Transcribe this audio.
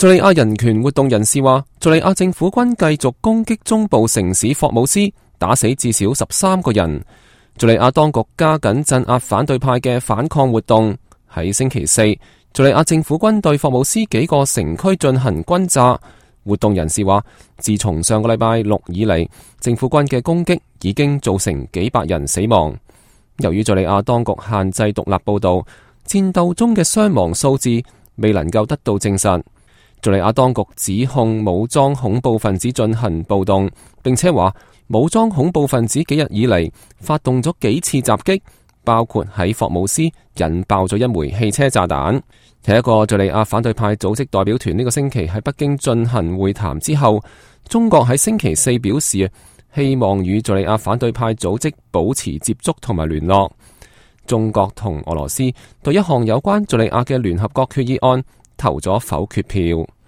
敘利亞人權活動人士話，敘利亞政府軍繼續攻擊中部城市霍姆斯，打死至少13個人。敘利亞當局加緊鎮壓反對派嘅反抗活動。喺星期四，敘利亞政府軍對霍姆斯幾個城區進行轟炸。活動人士話，自從上個禮拜六以嚟，政府軍嘅攻擊已經造成幾百人死亡。由於敘利亞當局限制獨立報道，戰鬥中嘅傷亡數字未能夠得到證實。敘利亞當局指控武裝恐怖分子進行暴動，並且話武裝恐怖分子幾日以嚟發動咗幾次襲擊，包括喺霍姆斯引爆咗一枚汽車炸彈。喺一個敘利亞反對派組織代表團呢個星期喺北京進行會談之後，中國喺星期四表示希望與敘利亞反對派組織保持接觸同埋聯絡。中國同俄羅斯對一項有關敘利亞嘅聯合國決議案投咗否決票。